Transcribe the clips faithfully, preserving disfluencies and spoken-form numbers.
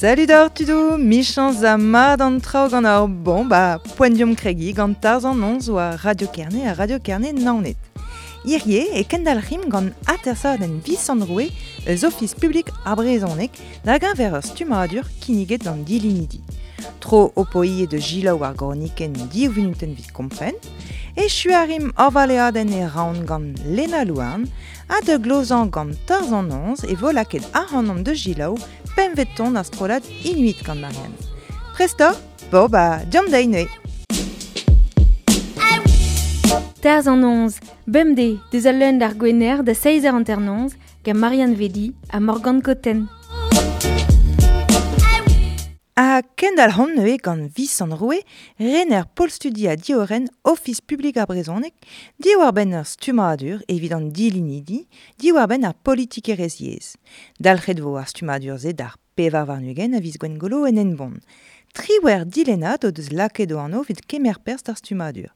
Salut d'or tudo, michans a mad an traoù gant ar bon ba poent diom kregi gant tarz an onz oa Radio Kerne a Radio Kerne naonet. Hirie e kendalc'him gant atersadenn Visant Roue eus Ofis Publik ar Brezhoneg da geñver ur stummadur kinniget d'an dilinidi. Tro o poie de gilaou ar gorniken div minuten vit kompren, e chuarim ar valeadenn e raon gant Lena Louarn, ha de glozan gant tarz an onz e vo lakaet ac'hanomp de gilaou pemveton ar strollad Inuit gant Marianne. Presto, bo ba, diom deiz neuze. Tarz an onz, bemdez, deus al leun d'ar gwener da seizh eur hanter-noz, gant Marianne Vedi ha Morgane Cotten. Ha kendalc'homp neuze gant Visant Roue, rener pol studi ha diorren Ofis Publik ar Brezhoneg, diwar-benn ur stummadur evit an dilinidi, diwar-benn ar politikerezh yezh. Dalc'het vo ar stummadur-se d'ar pevar warn-ugent a viz Gwengolo en Henbont. Triwec'h dilennad o deus lakaet o anv evit kemer perzh d'ar stummadur.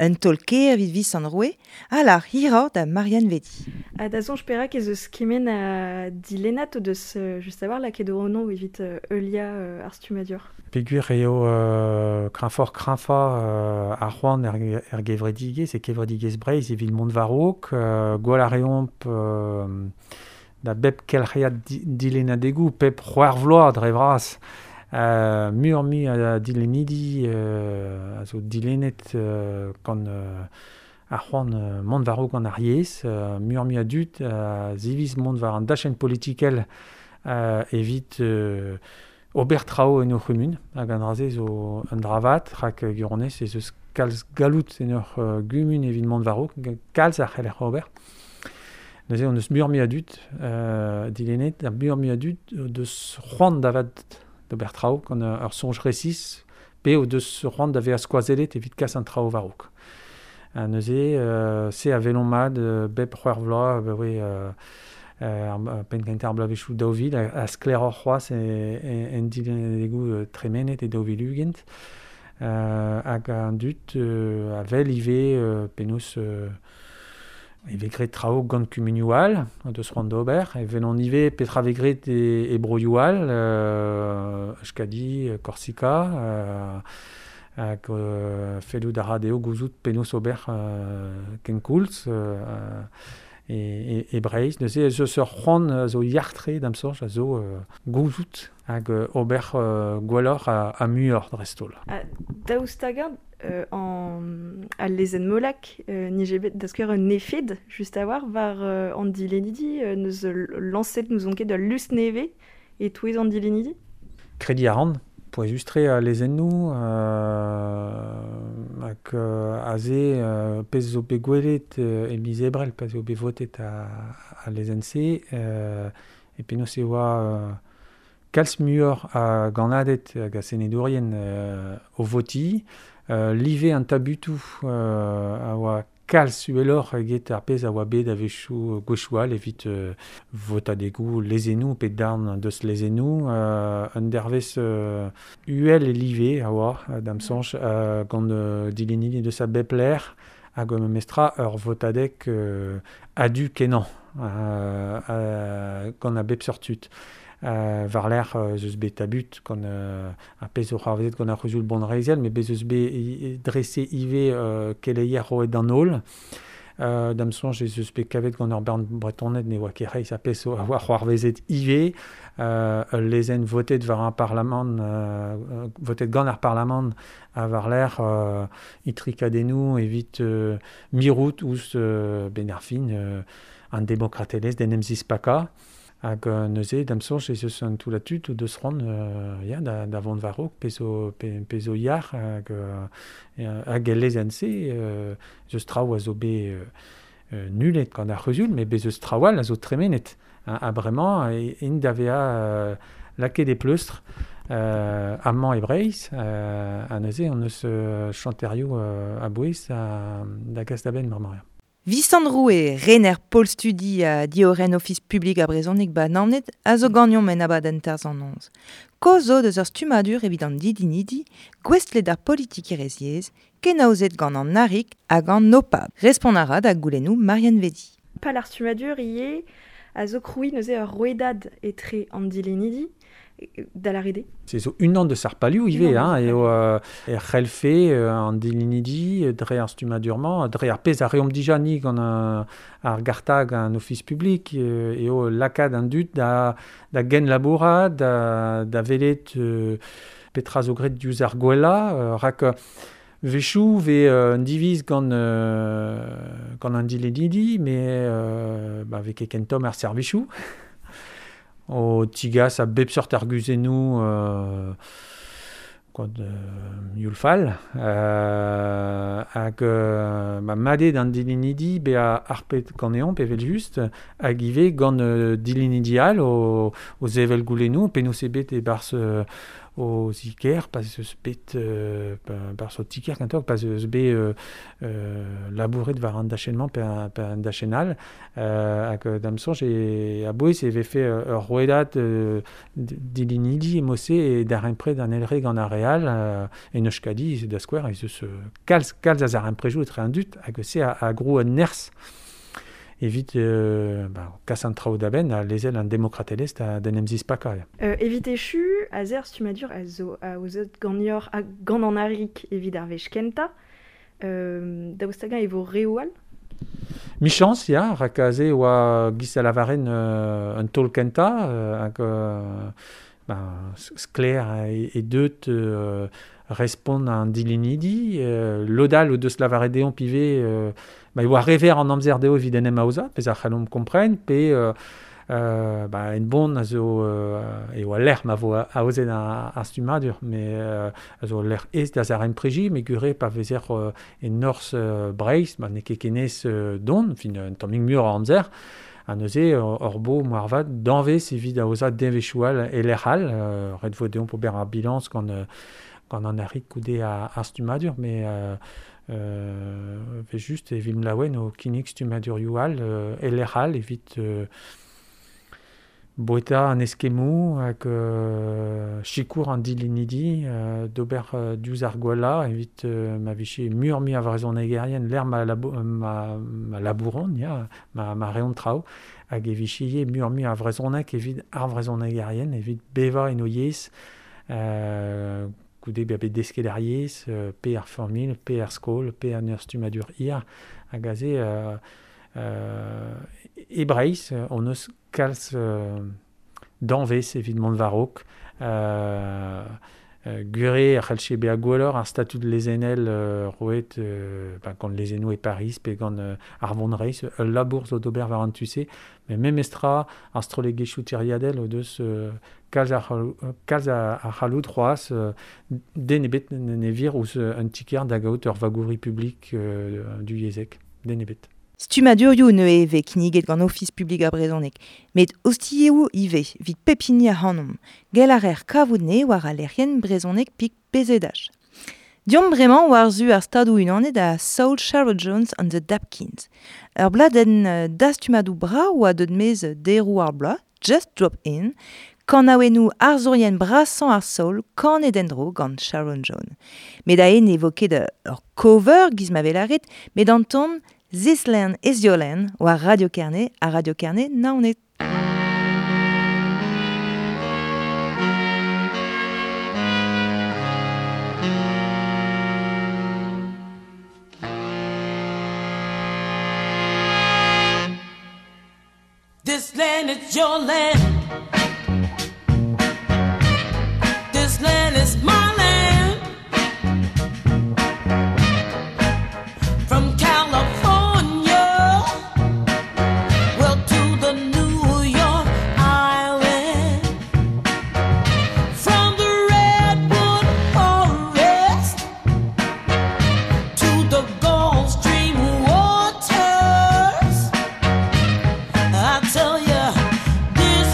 Un taol kaer evit Visant Roue, ha lar hiroc'h da Marianne Vedi. Ha da soñj perak ez eus kement a dilennad o deus euh, just a-walc'h lakaet o anv evit euh, heuliañ euh, ar stummadur. Peogwir eo euh, kreñvoc'h kreñvañ euh, ar c'hoant er, er gevredigezh e kevredigezh Breizh evit mont war-raok, euh, gwall a reomp euh, da bep kelc'hiad di, dilennadegoù, pep c'hwec'h vloaz dre vras. Euh, muioc'h-mui a dilennidi euh, a zo dilennet euh, gant euh, ar c'hoant euh, mont war-raok gant ar yezh, euh, muioc'h-mui a dud a ziviz mont war an dachenn politikel euh, evit euh, ober traoù en ur c'humun, hag an dra-se zo un dra vat, rak gwirionez ez eus kalz galloud en ur euh, gumun evit mont war-raok, kalz a c'heller ober. Neuze on eus muioc'h-mui a dud euh, dilennet, ha muioc'h-mui a dud deus c'hoant da vat d'ober traoù gant ur soñj resis, pe o deus c'hoant da vezañ skoazellet evit kas an traoù war-raok. Ha neuze, euh, se a welomp mat euh, bep c'hwec'h vloaz, ba oe euh, euh, penn kentañ ar bloavezhioù daou vil, a, a sklaeroc'h c'hoazh e, e, en dilennadegoù euh, tremenet e daou vil ugent. Euh, hag an dud euh, a wel ivez euh, penaos euh, e vez graet traoù gant kumunioù all, deus c'hoant d'ober, e welont ivez petra vez graet e, e broioù all, euh, Euskadi, Korsika, euh, hag euh, fellout a ra dezho gouzout penaos ober euh, kenkoulz euh, e, e, e Breizh. Neuze ez eus ur c'hoant a zo yac'h-tre d'am soñj a zo euh, gouzout hag euh, ober euh, gwelloc'h ha, ha muioc'h dreist-holl. Ha daoust hag-eñ euh, an al lezenn Molac euh, nije bet da skouer un efed just a-walc'h war euh, an dilennidi, euh, neus lañset n'ouzon ket ul lusk nevez e-touez an dilennidi? Krediñ a ran, pouezus-tre a lezennoù, euh, hag euh, aze euh, pezh zo bet gwelet euh, e miz Ebrel, pa'z eo bet votet a, a lezenn-se, euh, e penaos e oa euh, kalz muioc'h a gannaded hag a senedourien euh, o votiñ, euh, live an tabutoù euh, a oa kalz uheloc'h eget ar pezh a oa bet a-wechoù gwechoù all evit euh, votadegoù lezennoù pe darn deus lezennoù, euh, un dervezh euh, uhel e live a oa d'am soñj euh, gant euh, dilennidi deus a bep lec'h hag o memestra ur votadeg euh, a-du kenañ euh, euh, gant a bep seurt tud. Euh, war-lerc'h euh, eus bet tabut gant euh, ar pezh zo c'hoarvezet gant ar c'huzul bonreizhel, met bez eus bet i- drese ivez euh, keleier roet d'an holl. Euh, d'am soñj ez eus bet kavet gant ur bern Bretoned ne oa ket reizh ar pezh zo a oa c'hoarvezet ivez, euh, ul lezenn votet war ar parlamant, euh, votet gant ar parlamant ha war-lerc'h euh, itrikadennoù evit euh, mirout ouzh euh, ben ar fin euh, an demokratelezh d'en em zispakañ. Hag euh, neuze d'am soñj ez eus an toullad tud o deus c'hoant euh, ya, da, da vont war-raok, pezh zo, pe, pezh zo yac'h hag, euh, hag el lezenn-se euh, ez eus traoù a zo bet euh, euh, nullet gant ar c'huzul, met bez eus traoù all a zo tremenet. Ha, ha bremañ, e, int da vezañ euh, lakaet e pleustr euh, amañ e Breizh, euh, ha neuze on eus euh, chanterioù euh, a-bouez da, da gas da benn bremañ. Visant Roue, rener Pol Studi a dioren Ofis Publik a brezhoneg ba Naoned a zo gagnon men abadenn tarzh an noz. Kozo deus ur stummadur evit an didinidi, gouestlet ar politikerezh kenaozet gant an narik hag an opab. Respont a ra da goulennoù Marianne Vedi. Pal ar stummadur ie a zo kroui neuze ur rouedad etre an dilenidi da la rede. Se zo unan deus ar palioù ivez, hein, eo euh, er c'hellfe euh, an dilenidi dre ar stummadur-mañ, dre ar pezh a reomp dija ni gant an, ar gartag an ofis publik, euh, eo lakaat an dud da, da gen labourat, da, da velet euh, petra zo graet diouzh ar gwella, euh, rak Vechou ve euh, un diviz gant, euh, gant an dilenidi, mais euh, ba, ve ket kentom ar servichou. O tigas a bep seurt arguzennoù euh, gant euh, youl fall, euh, hag euh, ba, madet an dilenidi be a arpet ganeomp evel just, hag ivez gant euh, dilenidi all o, o zevel goulennoù, penaos eo bet e-barzh euh, o ziker, pas eus bet euh, barzh o tiker kentoc'h, pas eus bet euh, euh, labouret war an dachenn-mañ pe an, pe an dachenn all, euh, hag da'm soñj e a-bouez e vefe ur rouedad euh, dilenidi e-mod-se e darempred an elre gant ar re all, euh, en Euskadi, da skouer, ez eus kalz, kalz a zaremprejoù etre an dud, hag se a, a grou un nerzh evit euh, ba, kas an traoù da benn a lezel an demokratelezh da, d'en em zispakañ. Euh, evit echu, a zer stummadur a zo a ozet ganior a gant an arik evit ar wech kentañ, euh, daoust hag-eñ e vo reoù all? Michans, ya, rak aze oa giz a lavaren euh, un taol kentañ, euh, hag euh, ba, sklaer e, e deut euh, respont an dilenidi, euh, lodal o deus lavaret deomp ivez, euh, ba, e oa rever an amzer dezho evit en em aozañ, pezh a c'hallomp kompren, pe euh, euh, ba, en bon a zo euh, e oa lec'h ma vo aozet ar, ar stummadur, mais euh, a zo lec'h ez da zarempreji, me gure pa vezer euh, e norzh euh, Breizh, ba, n'eo ket kenez euh, don, fin un tammig muioc'h a amzer, ha neuze ur bo moarvat danvez evit aozañ devezhioù all e lec'h all, euh, ret vo deomp ober ar bilañs gant, euh, gant an arik goude ar, ar stummadur, mais euh, euh, ve just evit mlaouen o kinnig stummadurioù all, euh, e lec'h all evit euh, boeta an eskemmoù hag euh, sikour an dilenidi euh, d'ober euh, diouzh ar gwellañ evit euh, ma vije muioc'h-mui a vrezhonegerien lec'h ma, labo, ma, ma labouron, ya, ma, ma reont traoù, hag e vije ivez muioc'h-mui a vrezhoneg evit ar vrezhonegerien, evit bevañ en o yezh, euh, goude bezañ bet desket ar yezh, euh, pe ar familh, pe ar skol, pe an ur stummadur hir, hag aze euh, euh, e Breizh, on eus kalz euh, danvez evit mont war-raok, euh, euh, gure a c'hellche bezañ gwelloc'h ar statud lezennel euh, roet euh, ba, gant lezennoù e Pariz pe gant euh, ar Vonreizh, ul labour zo d'ober war an tu-se, met memestra ar strollegezhioù tiriadel o deus euh, kalz a kalz a, a c'halloud c'hoazh, euh, den ebet ne vir ouzh un tiker da gaout ur vagouri publik euh, du yezhek, den ebet. Stummadurioù neuze vez kinniget gant Ofis Publik ar Brezhoneg, met ostilhoù ivez evit pep hini ac'hanomp. Gell a reer kavout ne war al lec'hienn brezhoneg pik P Z H. Diomp bremañ war-zu ar Stadoù Unanet a Soul Sharon Jones and the Dap Kings. Ur bladenn dastumadoù brav oa deut maez deroù ar bloaz, Just Drop In, kanaouennoù arzourien brasañ ar soul kanet en-dro gant Sharon Jones. Met aze ne vo ket ur cover giz ma vez lâret, met an ton This Land is Your Land war Radio Kerne ha Radio Kerne Naoned. This land is your land. This land is my land. From California, well, to the New York Island. From the Redwood Forest to the Gulf Stream waters. I tell ya, this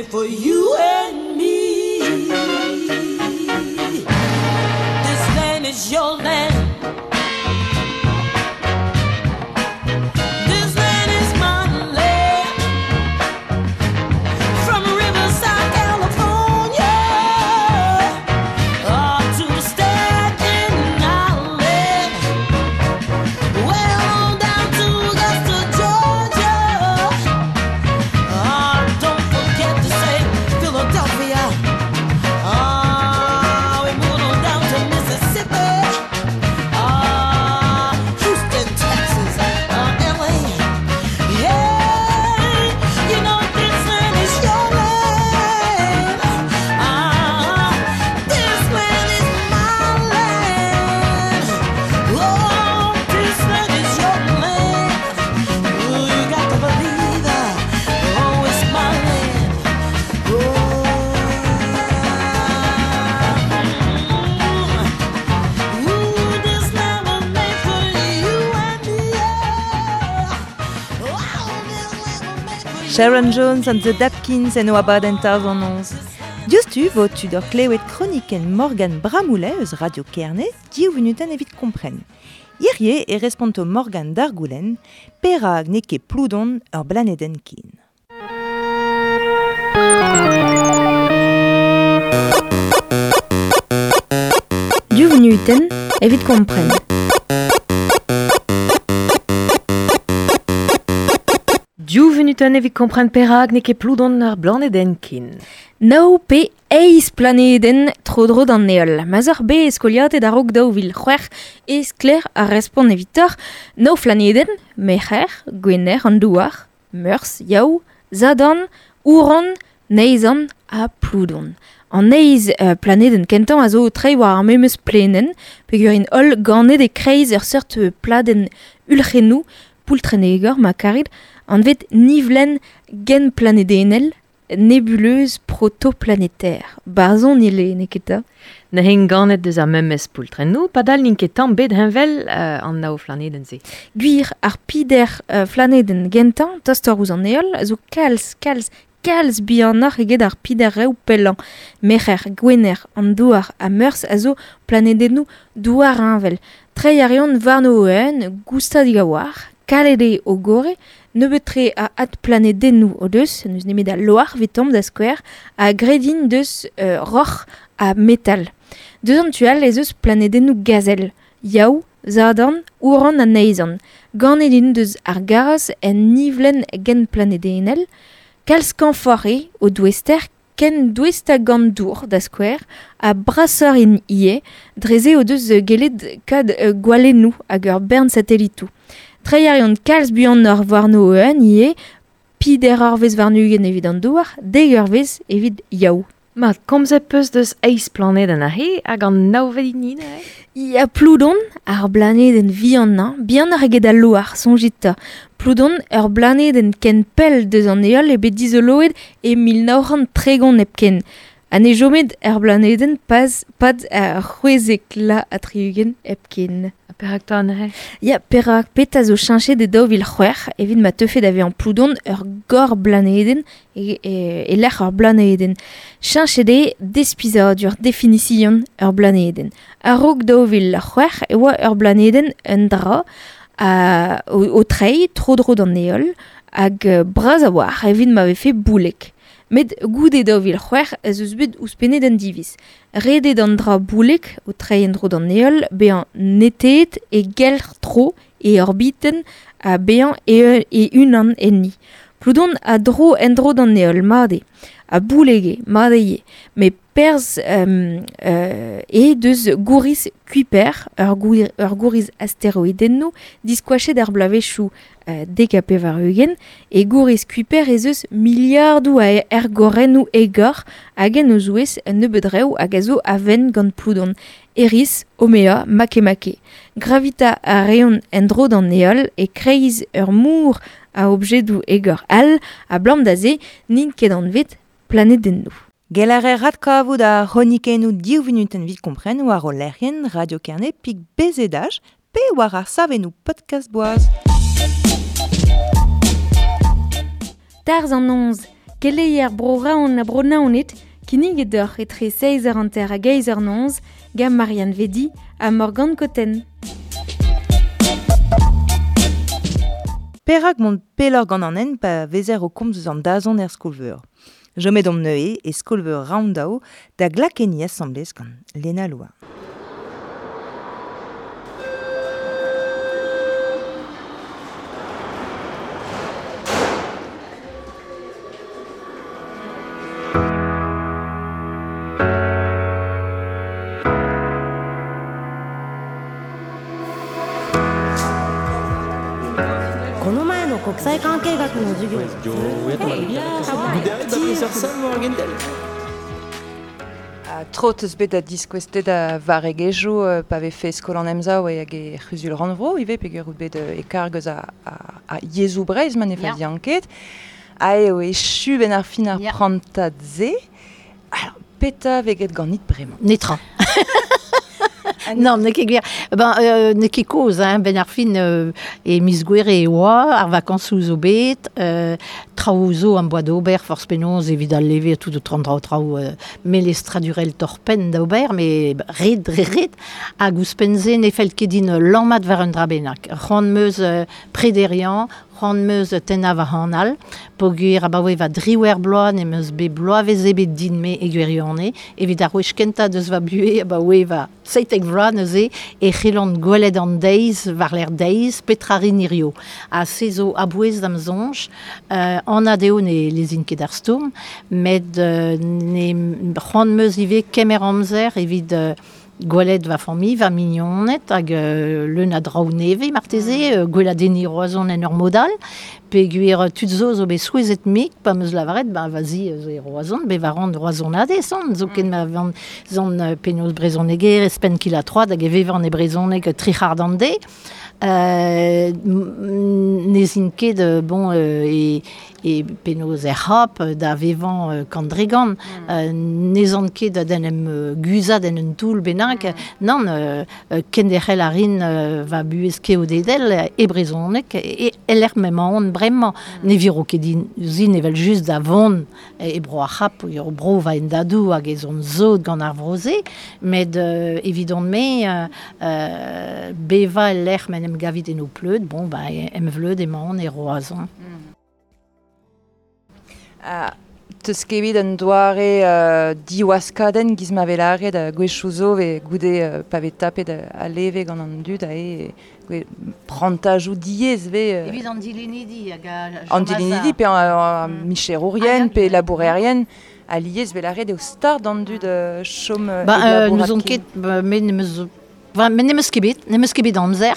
made for you and me. This land is your land. This land is my land. From Riverside, California, up to Staten Island, well on down to Augusta, Georgia. Ah, don't forget to say Philadelphia. Ah, we moving on down to Mississippi. Ah, Houston, Texas, uh, L A. Yeah, you know this land is your land. Ah, this land is my land. Oh, this land is your land. Oh, you got to believe that. Oh, it's my land. Oh, ooh, this land was made for you and me. Yeah. Oh, this land was made for you. Sharon Jones and the Dap Kings en oa baden tarzh an noz. Diouzhtu vo tud ur klewet kronikenn Morgan Bramoulet eus Radio Kerne, div vunutenn evit kompren. Hirie e responto Morgan d'ar goulenn, perag n'eo ket Ploudon ur blanedenn ken. Div vunutenn evit kompren. Div vunutenn evit kompren perag n'eo ket Ploudon ur blanedenn ken. Nav pe eizh planedenn tro-dro d'an heol. Ma'z oc'h bet skoliatet a-raok daou vil c'hwec'h e sklaer ar respont evitoc'h. Nav planedenn, Merc'her, Gwener, an Douar, Meurzh, Yaou, Sadorn, Ouran, Neizhan ha Ploudon. An eizh euh, planedenn kentañ a zo treiñ war ar memes plenenn, peogwir int holl ganet e-kreiz ur seurt pladenn ulc'hennoù, poultrenegor ma karit, anvet nivlenn genplanedennel, nébuleuse protoplanétaire. Barzon ile, n'eo ket ta? Neuze ganet deus ar memes poultrennoù, padal n'int ket tamm bet heñvel euh, an nav flanedenn-se. Gwir ar pider euh, flanedenn gentañ, tostoc'h ouzh an heol, a zo kalz, kalz, kalz bihanoc'h eget ar pider reoù pellañ. Merc'her, Gwener, an Douar ha Meurzh a zo planedennoù douarheñvel. Treiñ a reont warno o-unan, goustadik a-walc'h, kalet eo o gorre, nebeut-tre a adplanedennoù o deus, n'eus nemet al loar evitomp da skouer, ha graet int deus euh, roc'h ha metal. Deus an tu all ez eus planedennoù gazel, Yaou, Sadorn, Ouran ha Neizhan. Ganet int deus ar garaz en nivlenn genplanedennel, kalz skañvoc'h eo o douester, ken douest hag an dour da skouer, ha brasoc'h int ivez, dre-se o deus gellet kad euh, gwalennoù hag ur bern satelitoù. Treiñ a reont kalz buanoc'h warno o-unan ivez, pider eurvezh warn-ugent evit an Douar, dek eurvezh evit Yaou. Mat, komzet peus deus eizh planedenn aze hag an navet hini neuze? Ya Ploudon, ar blanedenn vihanañ, bihanoc'h eget al loar, soñjit 'ta. Ploudon, ur blanedenn ken pell deus an heol eo bet dizoloet e mil nav c'hant tregont hepken. Ha ne chomet er blanedenn paz, pad ar c'hwezek la ha tri-ugent hepken. Ha perak 'ta neuze? Ya, perak petra zo cheñchet e daou vil c'hwec'h evit ma teufe da vezañ Ploudon ur gor blanedenn e, e, e lec'h ur blanedenn. Cheñchet eo despizadur, definition ur blanedenn. A-raok daou vil c'hwec'h e oa ur blanedenn un dra a, o, o treiñ tro-dro d'an heol hag euh, bras a-walc'h evit ma vefe boulek. Met goude daou vil c'hwec'h ez eus bet ouzhpennet un diviz. Ret eo d'an dra boulek o treiñ en-dro d'an heol bezañ neteet e gelc'h-tro e orbitenn ha bezañ e, e unan enni. Ploudon a dro en-dro d'an heol, mat eo. Ha boulek eo, mat eo ivez. Met perzh euh, euh, eo deus gouriz Kuiper, ur gour, ur gouriz asteroidennoù, diskoachet ar bloavezhioù euh, dek ha pevar-ugent, e gouriz Kuiper ez eus miliardoù a ergorennoù egor hag en o zouez un nebeud reoù hag a zo a-vent gant Ploudon. Eris, Haumea, Makemake. Gravita a reont en-dro d'an heol e kreiz ur mor a objedoù egor all, a blam da se n'int ket anvet planedennoù. Gell a reer adkavout ar c'hronikennoù div vunutenn evit kompren war o lec'hienn Radio Kerne pik B Z H pe war ar savennoù podcast boaz. Tarzh an noz, Keleier bro raon a bro naoned, kinniget deoc'h etre seiz eur hanter hag eizh eur noz, gant Marianne Vedi ha Morgane Cotten. Perak mont pelloc'h gant an hent pa vezer o komz eus an dazont er skol-veur. Jomet omp neuze e skol-veur Roundao da glakenni asambles gant Lena Louarn. Tro teus bet da diskoueztet da varegezhioù euh, pa vefe skol an emsav hag e c'huzul rannvro ivez peogwir out bet e karg eus a, a, a yezhoù Breizh ma ne fazian ket. Ha eo echu ben ar fin ar prantad-se. Alors, petra vez graet ganit bremañ? Netra. Non, n'eo ket gwir. Ben, euh, n'eo ket kozh, hein, ben ar fin euh, e miz Gouere e oa, ar vakansoù zo bet, euh, traoù zo am boa d'ober, forzh penaos evit al leve tout o trant traoù traoù euh, melestradurel torpenn d'ober, mais ret, ret, ret, hag ouzhpenn-se ne fell ket din lammat war un dra bennak. C'hoant 'm eus euh, prederiañ, c'hoant 'm eus tennañ va hanal, peogwir abaoe va driwec'h bloaz n'em eus bet bloavezh ebet din-me e gwirionez, evit ar wech kentañ deus va buhez abaoe va seitek vloaz neuze e c'hellan gwelet an deiz war-lerc'h deiz petra rin hirio. Ha se zo a-bouez da'm soñj, euh, anat eo ne lezin ket ar stourm, met euh, ne c'hoant 'm eus ivez kemer amzer evit euh, gwelet va familh, va mignoned, hag euh, leun a draoù nevez marteze, euh, gweladenniñ Roazhon en ur mod all, peogwir tud zo zo bet souezhet mik, pa 'm eus lavaret, ben vas-y zo e Roazhon, bet war an Roazhonadez on, zoken ma van zon euh, penaos brezhoneger, espenn kil ha troad hag e vevan e brezhoneg tri c'hard an deiz. Euh, ne zin ket bon euh, e, e penaos er c'hap da vevan euh, kant dre gant. Mm. Euh, ne zan ket da en em guzat en un toull bennak. Mm. Nann, euh, kenderc'hel a rin euh, va buhez keodedel e brezhoneg e e-lec'h m'emaon on bremañ. Mm. Ne viro ket din zin evel just da vont e bro ar c'hap, ur bro va en dadou hag ez on zod gant ar vro-se, met euh, evidon-me euh, euh, beva el-lec'h m'en em gavit en o pleud, bon, ba, em vleud emaon e Roazhon. Mm. Ah, teus ket bet un doare euh, diwaskadenn giz ma vez lâret uh, gwechoù zo ve goude euh, pa vez tapet a leve gant an dud a e prantajoù diaes vez euh, Evit an dilennidi hag a an dilennidi pe an, an micherourien pe labourerien a liez vez lâret eo start an dud euh, chom euh, Ba, euh, n'ouzon ket, ba, me n'em eus Enfin, met n'em eus ket bet, n'em eus ket bet amzer.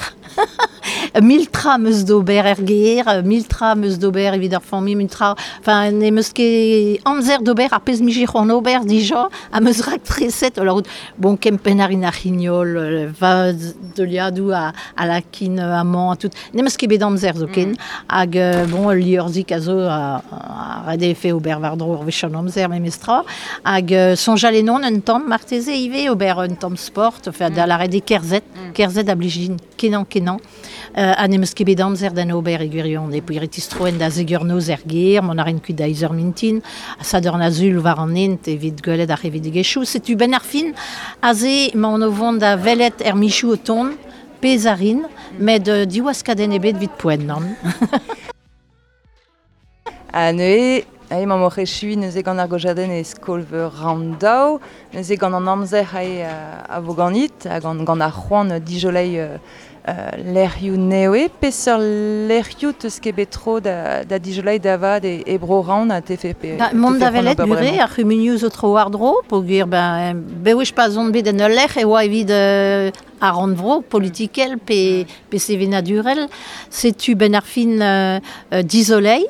Mil tra 'm eus d'ober er gêr, mil tra 'm eus d'ober evit ar familh, mil tra... Enfin, n'em eus ket amzer d'ober ar pezh 'mije c'hoant ober dija, am eus raktreset, alors, bon, kempenn a rin ar c'hignol, va deuliadoù a, a lakin amañ, a tout. N'em eus ket bet amzer zoken, mm. hag, bon, liorzhig a zo a, a ret eo fe ober war-dro ur wech an amzer memestra, hag soñjal ennon un tamm marteze ivez, ober un tamm sport, enfin, da lâret eo kerzhet, mm. kerzhet a blij din kenañ kenañ. Euh, ha n'em eus ket bet amzer d'an ober e gwirion, e peogwir e tistroen da zeg eur noz er gêr, mont a rin kuit da eizh eur mintin, ha sadorn a sul war an hent evit gwelet ar c'hevedigezhioù. Setu ben ar fin, aze emaon o vont da welet er michoù o tont, pezh a rin, met euh, diwaskadenn ebet evit poent, nann. Ha neuze, ae mamm oc'h echuiñ neuze gant ar gojadenn e skol-veur Roundao, neuze gant an amzer ae a vo ganit, ha gant, gant ar c'hoant dijoleiñ euh, lec'hioù nevez, peseurt lec'hioù teus ket bet tro da, da dijoleiñ da vat e, e bro Round a tefe pe... Da, mont da welet gure, ar c'humunioù zo tro war-dro, peogwir ben, bewech pa zon bet en ul lec'h e oa evit euh, ar rannvro politikel pe, pe sevenadurel, setu ben ar fin euh, euh, dizoleiñ,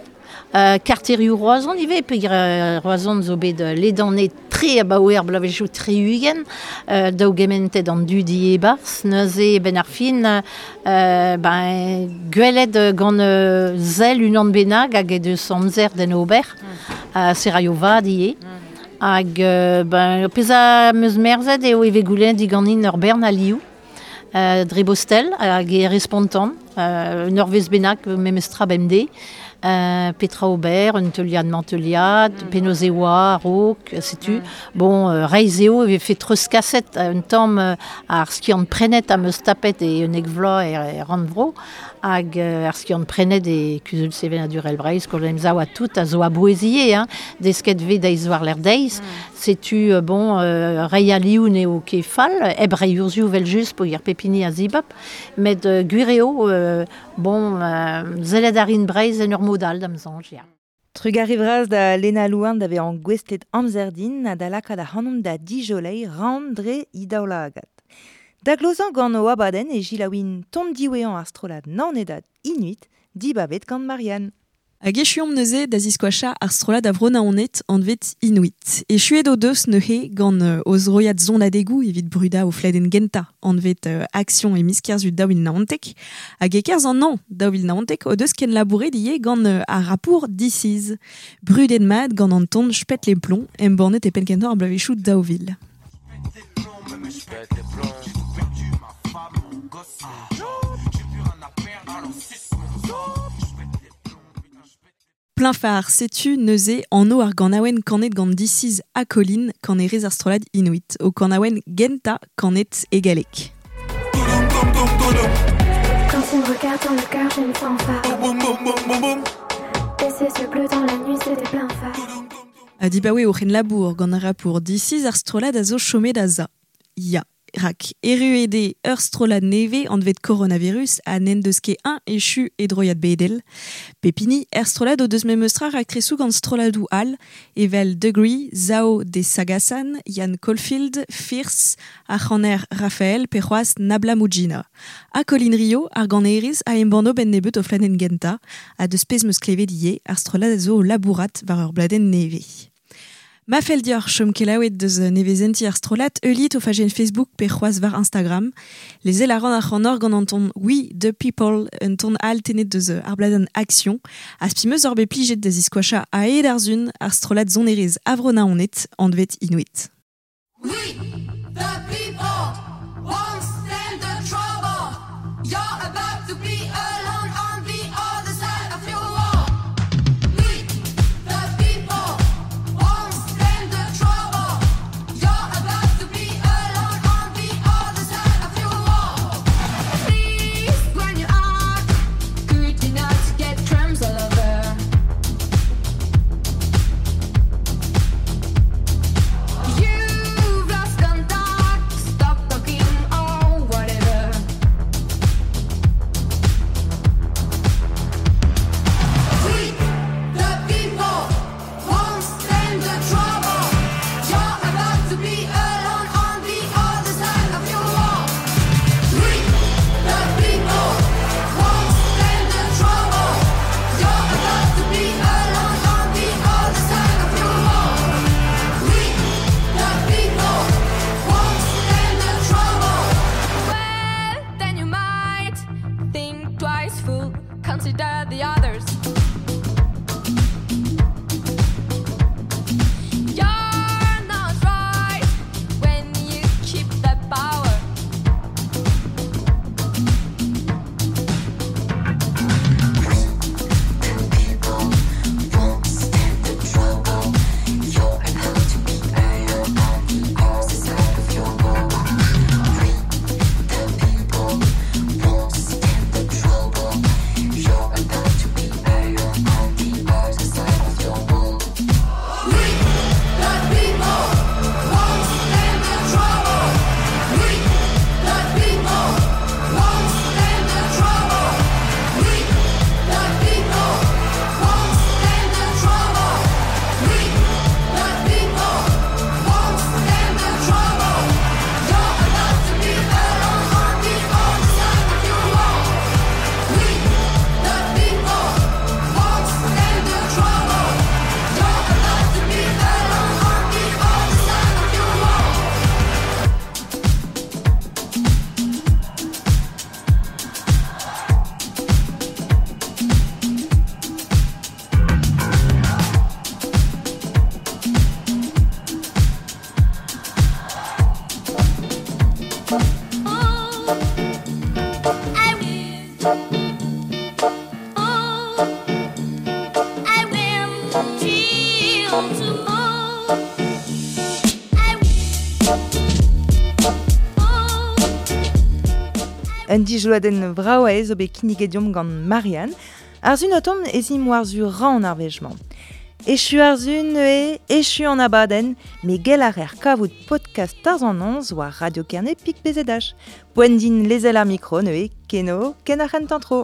Euh, karterioù Roazhon ivez, peogwir euh, Roazhon zo bet euh, ledannet tre abaoe ar bloavezhioù tri-ugent, euh, daou gementet an dudi e-barzh, neuze ben ar fin euh, ben, gwelet gant euh, sell unan bennak hag e deus amzer d'en ober, mm. uh, seraio vat ivez. Mm. Hag euh, ben, pezh a 'm eus merzet eo e vez goulennet diganin ur bern alioù, euh, dre bostel hag e respontan. Euh, un urvez bennak memestra bemde, euh, Petra Aubert, un teuliad manteliad, mm. Penozewa, Rok, setu. Mm. Bon, euh, reizeo e fait treus kaset, un tamm euh, ar skiant prenet am eus tapet e un ekvloa e, e rannvro, hag euh, ar skiant prenet e kuzul sevenadurel Breizh, skol emsav a tout a zo a bouezie, hein, desket ve deiz war l'er deiz, mm. Setu, euh, bon, euh, rei a lioun eo ket fall, eb rei urzioù vel just po ir pepini a zibap, met euh, gwir eo, euh, bon, euh, zellet ar in Breizh en ur modal da'm soñj, ya. Trugarez vras da Lena Louarn da vezañ gouestlet amzer din ha da lakaat ac'hanomp da dijolei ran dre he daoulagad. Da glozañ gant o abadenn e jilaouin ton diwezhañ ar strollad Naonedad Inuit, dibabet gant Marianne. Hag echuomp neuze da ziskoacha ar strollad a vro Naoned anvet Inuit. Echuet o deus neuze gant euh, o zroiad zonadegou evit bruda o fladenn genta anvet euh, Action e miz Kerzu daou vil naontek. Hag e-kerzh an hañv daou vil naontek o deus ken labouret ivez gant euh, ar rapour Disiz. Brudet mat gant an ton J'pète les plombs, embannet e penn-kentañ ar bloavezhioù daou vil. Plein phare, setu neuze anv ar ganaouenn kanet gant Disiz ha Colin kanerez ar strollad Inuit, o kanaouenn genta kanet e galleg. Quand il me regarde dans le cœur, j'ai une fanfare. Et ses yeux bleus dans la nuit, c'était plein phare. Ha dibaoe o c'hen labour gant ar rapour Disiz ar strollad a zo chomet a za. Ya. Rak, erru eo ur strollad nevez anvet coronavirus ha n'en deus ket un echu e droiad bedel. Pepini, er strollad o deus memestra raktresoù gant strolladoù all, evel Degree, Zao de Sagasan, Yann Caulfield, Fierce, ar c'haner Raphaël pe c'hoazh Nabla Moudjina. Ha Colin Rio, ar ganerez a embanno ben nebeut o fladenn genta, ha deus pezh 'm eus klevet ivez, ar strollad a zo o labourat war ur bladenn nevez. Ma fell deoc'h chom kelaouet deus nevezenti ar strollad, heuliit o fajenn Facebook pe c'hoazh war Instagram. Lezel a ran ac'hanoc'h gant an ton We the People, un ton all tennet deus ar bladenn Action. Ha spi 'm eus oc'h bet plijet da ziskoachañ a-hed ar sun ar strollad sonerezh a vro Naoned, anvet Inuit. We the people won't stand the trouble. You're about to be alone on the other side of your wall. We the people won't stand the trouble. You're about to be alone on the other side of your wall. Please, when you are, could you not get crumbs all over? You've lost contact, stop talking or whatever. We, the people, won't stand the trouble. You're about to be alone on the other side of your wall. We, the people, won't stand the trouble. You're about to be alone on the other side of your wall. We, the people, won't stand the trouble. Well, then you might think twice, fool. Consider the others. You're not right when you keep the power. You're about to be alone. Un dijloadenn vrao aez zo bet kinniget deomp gant Marianne, ar zun o tont ez im war zu ran ar wech-mañ. Echu ar zun e, echu an abadenn, me gell ar er kavout podcast Tarzh an Noz war Radio Kerne pik B Z H. Poent din lezel ar mikro neuze, keno, ken ar c'hentañ tro.